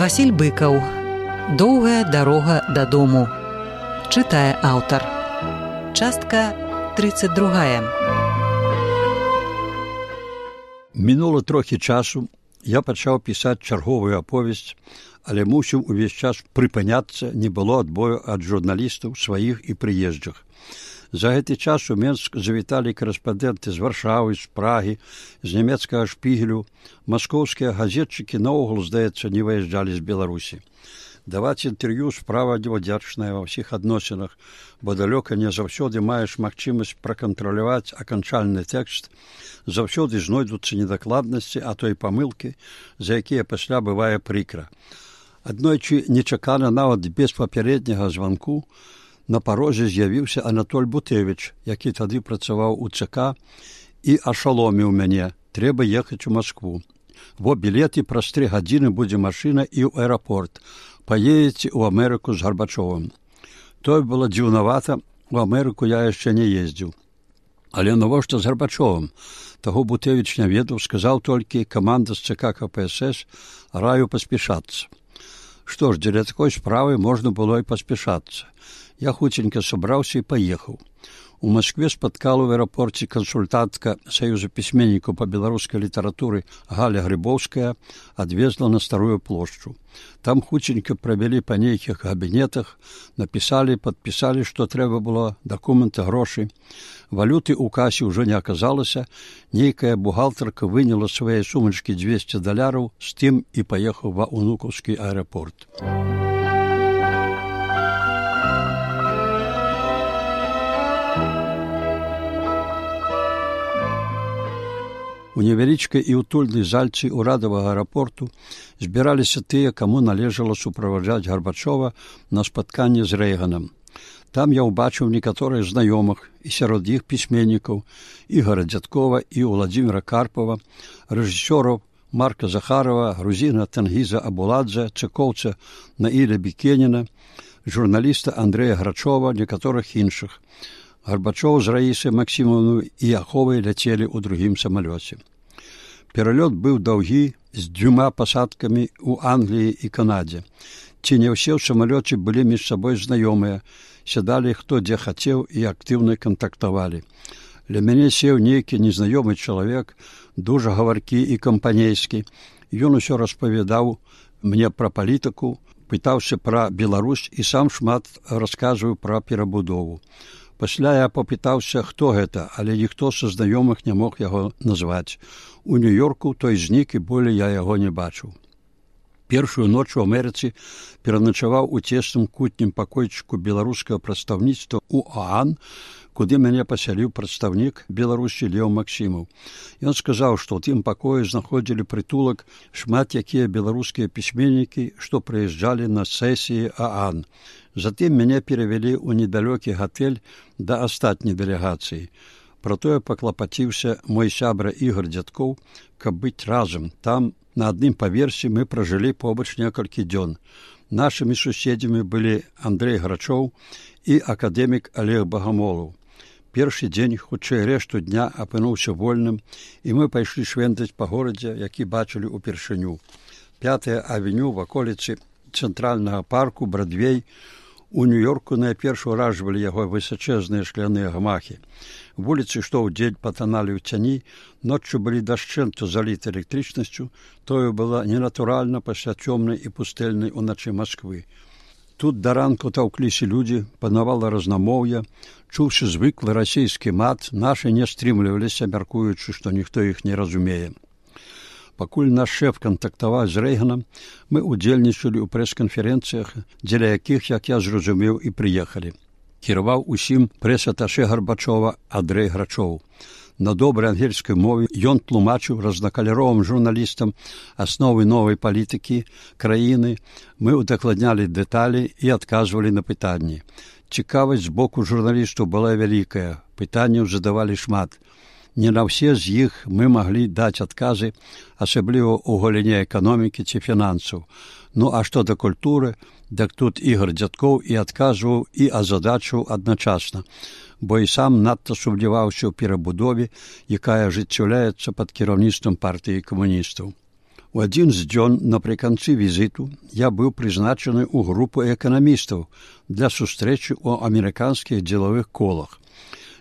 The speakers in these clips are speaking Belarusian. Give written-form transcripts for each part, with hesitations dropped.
Васіль Быкаў. Доўгая дарога дадому. Чытае аўтар. Частка 32. Мінула трохі часу, я пачаў пісаць чарговую аповесць, але мусіў увесь час прыпыняцца, не было адбою ад журналістаў сваіх і прыезджых. За гэты час у Менск завіталі корэспандэнты з Варшавы, з Прагі, з нямецкага Шпігелю. Маскоўскія газетчыкі наогул, здаецца, не выязджалі з Беларусі. Даваць інтэрв'ю справа невадзячная ва ўсіх адносінах, бо далёка не заўсёды маеш магчымасць пракантраляваць аканчальны тэкст, заўсёды знойдуцца недакладнасці, а то і памылкі, за якія пасля бывае прыкра. Аднойчы нечакана, нават без папярэдняга званку, на парозе з'явіўся Анатоль Бутэвіч, які тады працаваў у ЦК, і ашаломіў мяне: трэба ехаць у Маскву. Во білеты, праз 3 гадзіны будзе машына і ў аэрапорт. Паедзеце ў Амерыку з Гарбачовым. Тое было дзіўнавата, у Амерыку я яшчэ не ездзіў. Але навошта з Гарбачовым? Таго Бутэвіч не ведаў, сказаў толькі: каманда з ЦК КПСС, раю паспешацца. Што ж, дзеля такой справы можна было і паспешацца. Я хуценька сабраўся і паехаў. У Маскве спаткала ў аэрапорце кансультантка Саюза пісьменнікаў па беларускай літаратуры Галя Грыбоўская, адвезла на Старую плошчу. Там хуценька правялі па нейкіх кабінетах, напісалі, падпісалі, што трэба было, дакументы, грошы. Валюты ў касе ўжо не аказалася, нейкая бухгалтарка выняла свае сумачкі $200, з тым і паехаў ва ўнукаўскі аэрапорт. У невялічкай і утульнай зальцы ўрадавага аэрапорту збіраліся тыя, каму належала суправаджаць Гарбачова на спатканне з Рэйганам. Там я ўбачыў некаторых знаёмых, і сярод іх пісьменнікаў Ігора Дзядкова і Владзіміра Карпова, рэжысёраў Марка Захарова, грузіна Тангіза Абуладзе, цыкоўца Наіля Бікеніна, журналіста Андрэя Грачова, некаторых іншых. Гарбачоў з Раісай Максімаўнай і Аховай ляцелі ў другім самалёце. Пералёт быў даўгі, з 2 пасадкамі ў Англіі і Канадзе. Ці не ўсе ў самалёце былі між сабой знаёмыя, сядалі хто дзе хацеў і актыўна кантактавалі. Ля мяне сеў нейкі незнаёмы чалавек, дужа гаваркі і кампанейскі. Ён усё распавядаў мне пра палітыку, пытаўся пра Беларусь і сам шмат расказваў пра перабудову. Пасля я папытаўся, хто гэта, але ніхто са знаёмых не мог яго назваць. У Нью-Йорку той знік, і болей я яго не бачыў. Першую ноч у Амерыцы пераначаваў у цесным кутнім пакойчыку беларускага прадстаўніцтва ў ОАН, куды мяне пасяліў прадстаўнік Беларусі Леў Максімаў. Ён сказаў, што ў тым пакоі знаходзілі прытулак шмат якія беларускія пісьменнікі, што прыязджалі на сесіі ОАН. Затым мяне перавялі ў недалёкі гатэль да астатняй дэлегацыі. Пра тое паклапаціўся мой сябра Ігор Дзядкоў, каб быць разам. Там на адным паверсе мы пражылі побач некалькі дзён. Нашымі суседзямі былі Андрэй Грачоў і акадэмік Олег Багамолаў. Першы дзень, хутчэй рэшту дня, апынуўся вольным, і мы пайшлі швендаць па горадзе, які бачылі ўпершыню. 5-я авеню, ваколіцы цэнтральнага парку, Брадвей. У Нью-Йорку найперш уражвалі яго высачэзныя шкляныя гамахі. Вуліцы, што ўдзень патаналі ў цяні, ноччу былі дашчэнту заліты электрычнасцю, тое была ненатуральна пасля цёмнай і пустэльнай уначы Масквы. Тут да ранку таўкліся людзі, панавала разнамоўе, чуўся звыклы расійскі мат, нашы не стрымліваліся, мяркуючы, што ніхто іх не разумее. Пакуль наш шэф кантактаваў з Рэйганам, мы удзельнічалі ў прэс-канферэнцыях, дзеля якіх, як я зразумеў, і прыехалі. Кіраваў усім прэс-аташэ Гарбачова Андрэй Грачоў. На добрай ангельскай мове ён тлумачыў разнакаляровым журналістам асновы новай палітыкі краіны. Мы удакладнялі дэталі і адказвалі на пытанні. Цікавасць з боку журналістаў была вялікая, пытанняў задавалі шмат. Не на ўсе з іх мы маглі даць адказы, асабліва ў галіне эканомікі ці фінансаў. Ну, а што да культуры, дык тут Ігор Дзядкоў і адказваў, і азадачыў адначасна, бо і сам надта сумняваўся ў перабудове, якая ажыццяўляецца пад кіраўніцтвам партыі камуністаў. У адзін з дзён напрыканцы візіту я быў прызначаны ў групу эканамістаў для сустрэчы ў амерыканскіх дзелавых колах.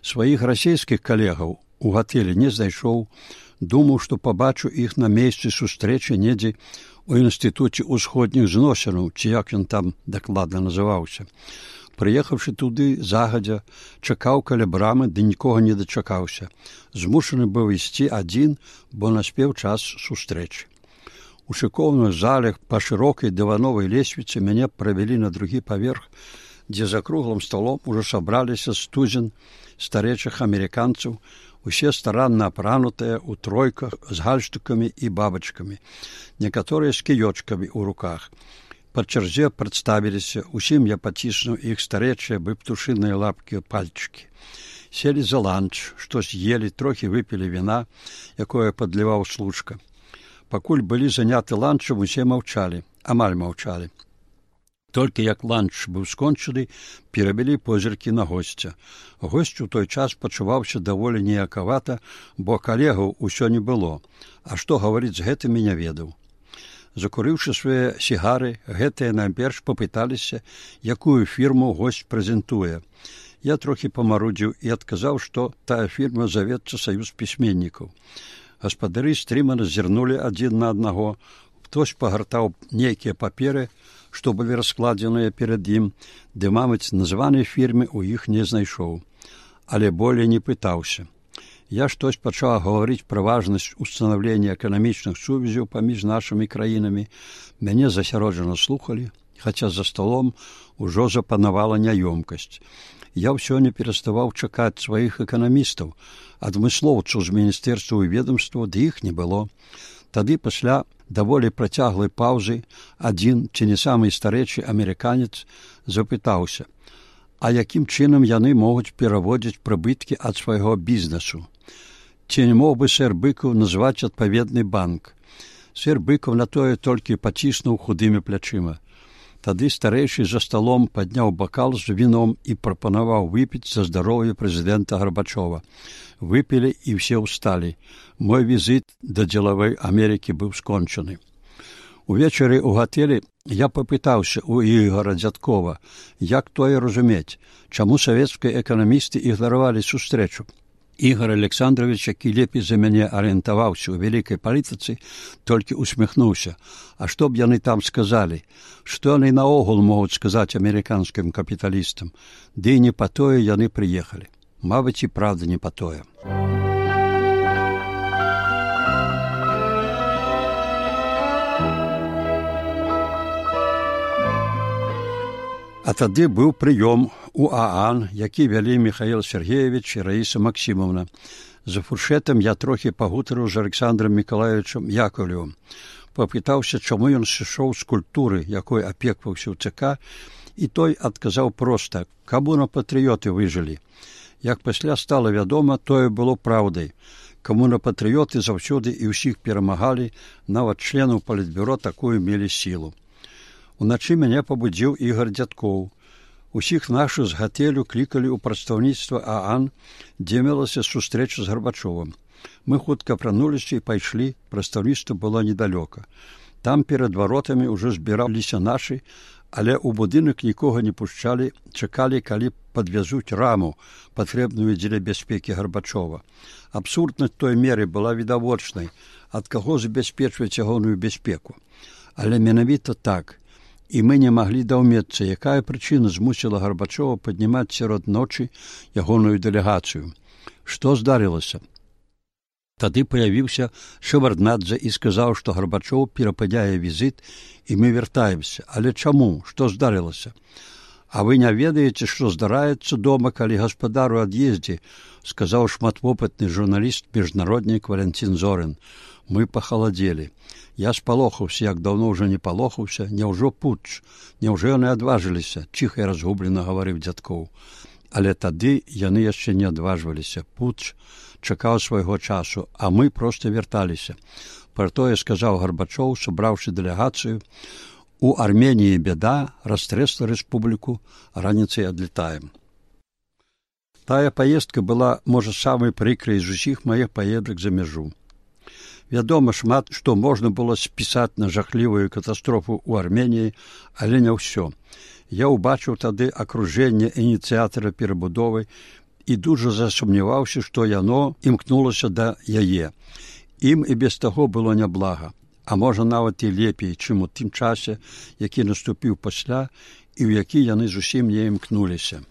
Сваіх расійскіх калегаў у гатэлі не знайшоў, думаў, што пабачу іх на месцы сустрэчы недзе у інстытуце ўсходніх зносінаў, ці як ён там дакладна называўся. Прыехаўшы туды загадзя, чакаў каля брамы, ды нікога не дачакаўся. Змушаны быў ісці адзін, бо наспеў час сустрэчы. У шыкоўных залях па шырокай дывановай лесвіцы мяне правялі на другі паверх, дзе за круглым сталом ужо сабраліся стузен старэйшых амерыканцаў, усе старанна апранутыя ў тройках з гальштукамі і бабачкамі, некаторыя з кіёчкамі ў руках. Па чарзе прадставіліся, усім я паціснуў іх старэйшыя бы птушыныя лапкі пальчыкі. Селі за ланч, што з'елі, трохі выпілі віна, якое падліваў служка. Пакуль былі заняты ланчам, усе маўчалі, амаль маўчалі. Толькі як ланч быў скончаны, перавялі позіркі на госця. Госць у той час пачуваўся даволі неякавата, бо калегаў усё не было, а што гаварыць з гэтымі не ведаў. Закурыўшы свае сігары, гэтыя найперш папыталіся, якую фірму госць прэзентуе. Я трохі памарудзіў і адказаў, што тая фірма завецца Саюз пісьменнікаў. Гаспадары стрымана зірнулі адзін на аднаго. Хтось пагартаў нейкія паперы, што былі раскладзеныя перад ім, ды, мабыць, названай фірмы ў іх не знайшоў. Але болей не пытаўся. Я штось пачаў гаварыць пра важнасць устанаўлення эканамічных сувязяў паміж нашымі краінамі. Мяне засяроджана слухалі, хаця за сталом ужо запанавала няёмкасць. Я ўсё не пераставаў чакаць сваіх эканамістаў, адмыслоўцаў з міністэрства і ведомства, ды іх не было. Тады пасля даволі працяглай паўзы адзін, ці не самы старэйшы амерыканец, запытаўся, а якім чынам яны могуць пераводзіць прыбыткі ад свайго бізнесу? Ці не мог бы сэр Быкаў назваць адпаведны банк? Сэр Быкаў на тое толькі паціснуў худымі плячыма. Тады старэйшы за сталом падняў бакал з віном і прапанаваў выпіць за здароўе прэзідэнта Гарбачова. Выпілі і ўсе ўсталі. Мой візіт да дзелавой Амерыкі быў скончаны. Увечары ў гатэлі я папытаўся ў Ігора Дзядкова, як тое разумець, чаму савецкія эканамісты ігнаравалі сустрэчу. Ігор Александрович, які лепей за мяне арыентаваўся ў вялікай палітыцы, толькі усміхнуўся. А што б яны там сказалі? Што яны наогул могуць сказаць амерыканскім капіталістам? Ды і не па тое яны прыехалі. Мабыць, і правда не па тое. А тады быў прыём у ААН, які вялі Міхаіл Сергеевич і Раіса Максімаўна. За фуршэтам я трохі пагутарыў з Александром Мікалаевичам Яковлевым. Папытаўся, чаму ён сышоў з культуры, якой апекваўся ў ЦК, і той адказаў проста, камуна-патрыёты выжылі. Як пасля стала вядома, тое было праўдай. Камуна-патрыёты заўсёды і ўсіх перамагалі, нават членаў палітбюро такую мелі сілу. Уначы мяне пабудзіў Ігор Дзядкоў. Усіх нашых з гатэлю клікалі ў прадстаўніцтва ААН, дзе мелася сустрэча з Гарбачовым. Мы хутка апрануліся і пайшлі, прадстаўніцтва было недалёка. Там перад варотамі ўжо збіраліся нашы, але ў будынак нікога не пушчалі, чакалі, калі падвязуць раму, патрэбную дзеля бяспекі Гарбачова. Абсурднасць той меры была відавочнай, ад каго забяспечваць ягоную бяспеку. Але менавіта так. І мы не маглі даўмецца, якая прычына змусіла Гарбачова паднімаць сярод ночы ягоную дэлегацыю. Што здарылася? Тады паявіўся Шеварднадзе і сказаў, што Гарбачоў перападняе візіт, і мы вяртаемся. Але чаму? Што здарылася? А вы не ведаеце, што здараецца дома, калі гаспадар у ад'ездзе, сказаў шматвопытны журналіст, міжнароднік Валянцін Зорин. Мы пахаладзелі. Я спалохаўся, як даўно ўжо не палохаўся. Няўжо путч? Няўжо яны адважыліся? Ціха і разгублена гаварыў Дзядкоў. Але тады яны яшчэ не адважваліся. Путч чакаў свайго часу, а мы проста вярталіся. Пра тое сказаў Гарбачоў, сабраўшы дэлегацыю. У Арменіі бяда, растрэсла рэспубліку, раніцай адлетаем. Тая паездка была, можа, самай прыкрай з усіх маіх паездак за мяжу. Вядома, шмат што можна было спісаць на жахлівую катастрофу ў Арменіі, але не ўсё. Я ўбачыў тады акружэнне ініцыятара перабудовы і дужа засумняваўся, што яно імкнулася да яе. Ім і без таго было няблага, а можа нават і лепей, чым у тым часе, які наступіў пасля і ў які яны зусім не імкнуліся.